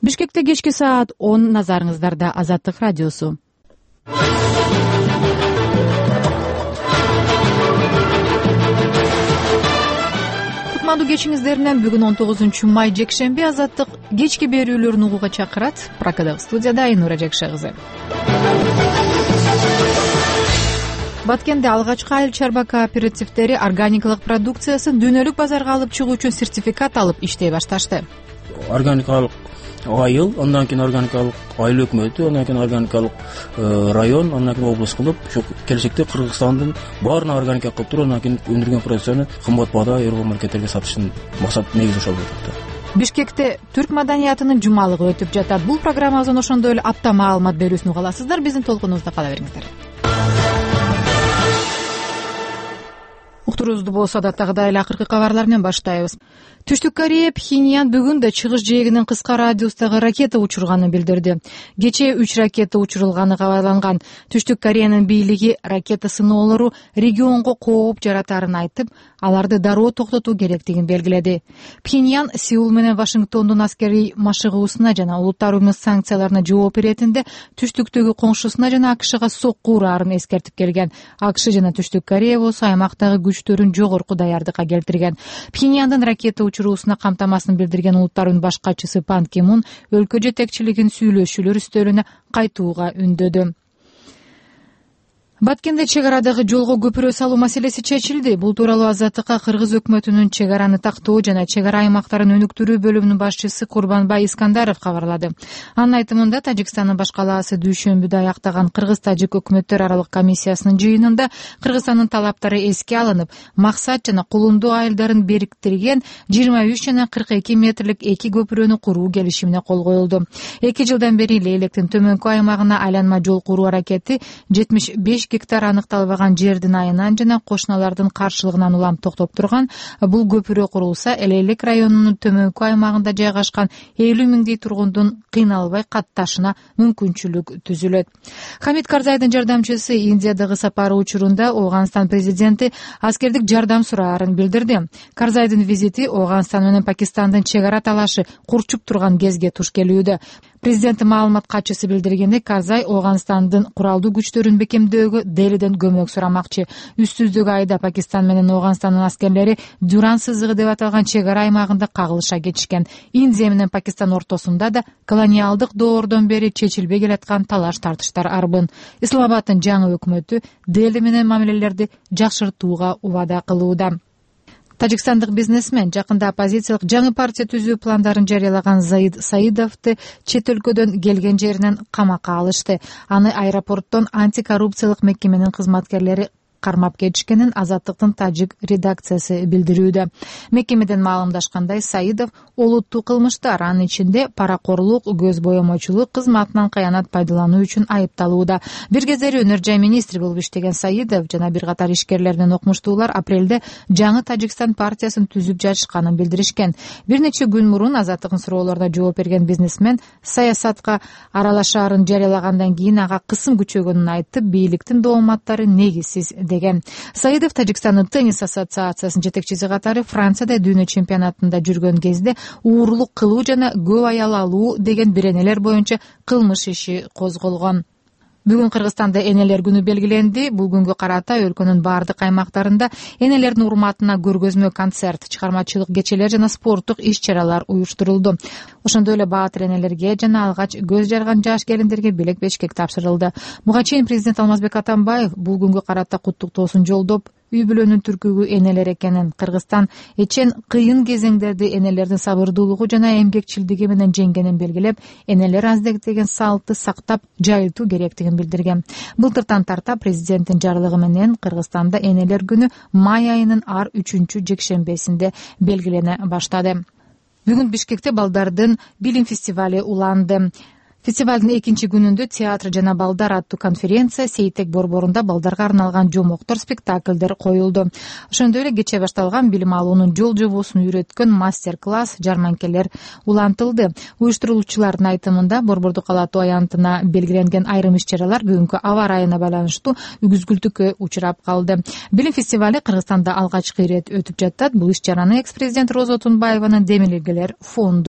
Бишкекте кечки саат 10, назарыңыздарда Азаттык радиосу. Кутмандуу кечиңиздер менен бүгүн 19 май жекшемби Азаттык кечки берүүлөрүн угууга чакырат. Пракадагы студияда Айнура Жекше кызы. Баткенде алгачкы айыл чарба кооперативдери органикалык продукциясын дүйнөлүк базарга алып чыгуу үчүн сертификат алып иштей башташты. Органикалык айыл, андан кийин органикалык айыл өкмөтү, андан кийин органикалык район, андан кийин область кылып, ушу келечекте Кыргызстандын баарына органика кылып туруп, андан кийин өндүргөн продукцияны кымбат баада Европа маркеттерге сатыштын максат негизи ошол болуп атат. Бишкекте түрк маданиятынын жумалыгы өтүп жатат. Бул программабыздын ошондой эле апта маалымат берүүсүн уга аласыздар. Биздин толкунубузда кала бериңиздер. Уктуруубузду болсо адаттагыдай эле акыркы кабарлар менен баштайбыз. Түштүк Корея Пхеньян бүгүн да чыгыш жээгинен кыска радиустагы ракета учурганын билдирди. Кечээ 3 ракета учурулганы кабарланган. Түштүк Кореянын бийлиги ракета сыноолору регионго кооп жаратарын айтып, аларды дароо токтотуу керектигин белгиледи. Пхеньян Сеул менен Вашингтондун аскерий машыгуусуна жана улуттар уюмунун санкцияларына жооп беретинде түштүктөгү коңшусуна жана АКШга сокку ураарын эскертип келген. АКШ жана Түштүк Корея болсо аймактагы күчтөрүн жогорку даярдыкка келтирген. Пхеньяндын ракета учуруусуна камтамасын билдирген улуттар уюмунун баш катчысы Пан Ки Мун өлкө жетекчилигин сүйлөшүүлөр үстөлүнө кайтууга үндөдү. Баткенде чек арадагы жолго көпүрө салуу маселеси чечилди. Бул тууралуу Азаттыкка Кыргыз өкмөтүнүн чек араны тактоо жана чек ара аймактарын өнүктүрүү бөлүмүнүн башчысы Курбанбай Искандаров кабарлады. Анын айтымында Тажикстандын баш калаасы дүйшөмбүдө аяктаган Кыргыз-Тажик өкмөттөр аралык комиссиясынын жыйынында Кыргызстандын талаптары эске алынып, максат жана кулундуу айылдарын бириктирген 23 жана 42 метрлик эки көпүрөнү куруу келишимине кол коюлду. 2 жылдан бери Лейлектин төмөнкү аймагына айланма жол куруу аракети 75 гектар аныкталбаган жердин айынан жана кошуналардын каршылыгынан улам токтоп турган. Бул көпүрө курулса, Лейлек районунун төмөнкү аймагында жайгашкан 50 миңдей тургундун кыйналбай катташына мүмкүнчүлүк түзүлөт. Хамид Карзайдын жардамчысы Индиядагы сапары учурунда Ооганстан президенти аскердик жардам сураарын билдирди. Карзайдын визити Ооганстан менен Пакистандын чек ара талашы курчуп турган кезге туш келүүдө. Президенттин маалымат катчысы билдиргендей, Карзай Ооганстандын куралдуу күчтөрүн бекемдөөгө Делиден көмөк сурамакчы. Үстүздөгү айда Пакистан менен Ооганстандын аскерлери Дюран сызыгы деп аталган чек ара аймагында кагылыша кетишкен. Индия менен Пакистан ортосунда да колониалдык доордон бери чечилбей келаткан талаш тартыштар арбын. Исламабадтын жаңы өкмөтү Дели менен мамилелерди жакшыртууга убада кылууда. Тажикстандык бизнесмен жакында оппозициялык жаңы партия түзүү пландарын жарыялаган Заид Саидовду чет өлкөдөн келген жеринен камакка алышты. Аны аэропорттон антикоррупциялык мекеменин кызматкерлери кармап кетишкенин Азаттыктын тажик редакциясы билдирүүдө. Мекемеден маалымдашкандай, Саидов олуттуу кылмыштар, анын ичинде паракорлук, көз боемочулук, кызматынан кыянат пайдалануу үчүн айыпталууда. Бир кездери өнөр жай министри болуп иштеген Саидов жана бир катар ишкерлер менен окумуштуулар апрелде жаңы Тажикстан партиясын түзүп жатышканын билдиришкен. Бир нече күн мурун Азаттыктын суроолоруна жооп берген бизнесмен саясатка аралашаарын жарыялагандан кийин ага кысым күчөгөнүн айтып, бийликтин дооматтары негизсиз деген. Саидов Тажикстандын теннис ассоциациясынын жетекчиси катары Францияда дүйнө чемпионатында жүргөн кезде уурулук кылуу жана көп аял алуу деген биренелер боюнча кылмыш иши козголгон. Бүгүн Кыргызстанда энелер күнү белгиленди. Бул күнгө карата өлкөнүн бардык аймактарында энелердин урматына көргөзмө концерт, чыгармачылык кечелер жана спорттук иш-чаралар уюштурулду. Ошондой эле баатыр энелерге жана алгач көз жарган жаш келиндерге белек бешкек тапшырылды. Буга чейин президент Алмазбек Атамбаев бул күнгө карата куттуктоосун жолдоп, үй бүлөнүн түркүгү энелер экенин, Кыргызстан эчен кыйын кезеңдерди энелердин сабырдуулугу жана эмгекчилдиги менен жеңгенин белгилеп, энелер аздектеген салтты сактап жайылтуу керектигин билдирген. Былтыртан тарта президенттин жарлыгы менен Кыргызстанда энелер күнү май айынын ар 3-чү жекшембесинде белгилене баштады. Бүгүн Бишкекте балдардын билим фестивали уланды. Фестивалдын 2-чи күнүндө театр жана балдар аттуу конференция Сейтек борборунда балдарга арналган жомоктор, спектакльдер коюлду. Ошондой эле кечээ башталган билим алуунун жол жобосун үйрөткөн мастер-класс, жарманкелер улантылды. Уюштуруучулардын айтымында борбордук алатуу аянтына белгиленген айрым иш-чаралар бүгүнкү аба ырайына байланыштуу үзгүлтүккө учурап калды. Билим фестивали Кыргызстанда алгачкы ирет өтүп жатат. Бул иш-чараны экс-президент Роза Отунбаеванын Демилгелер фонду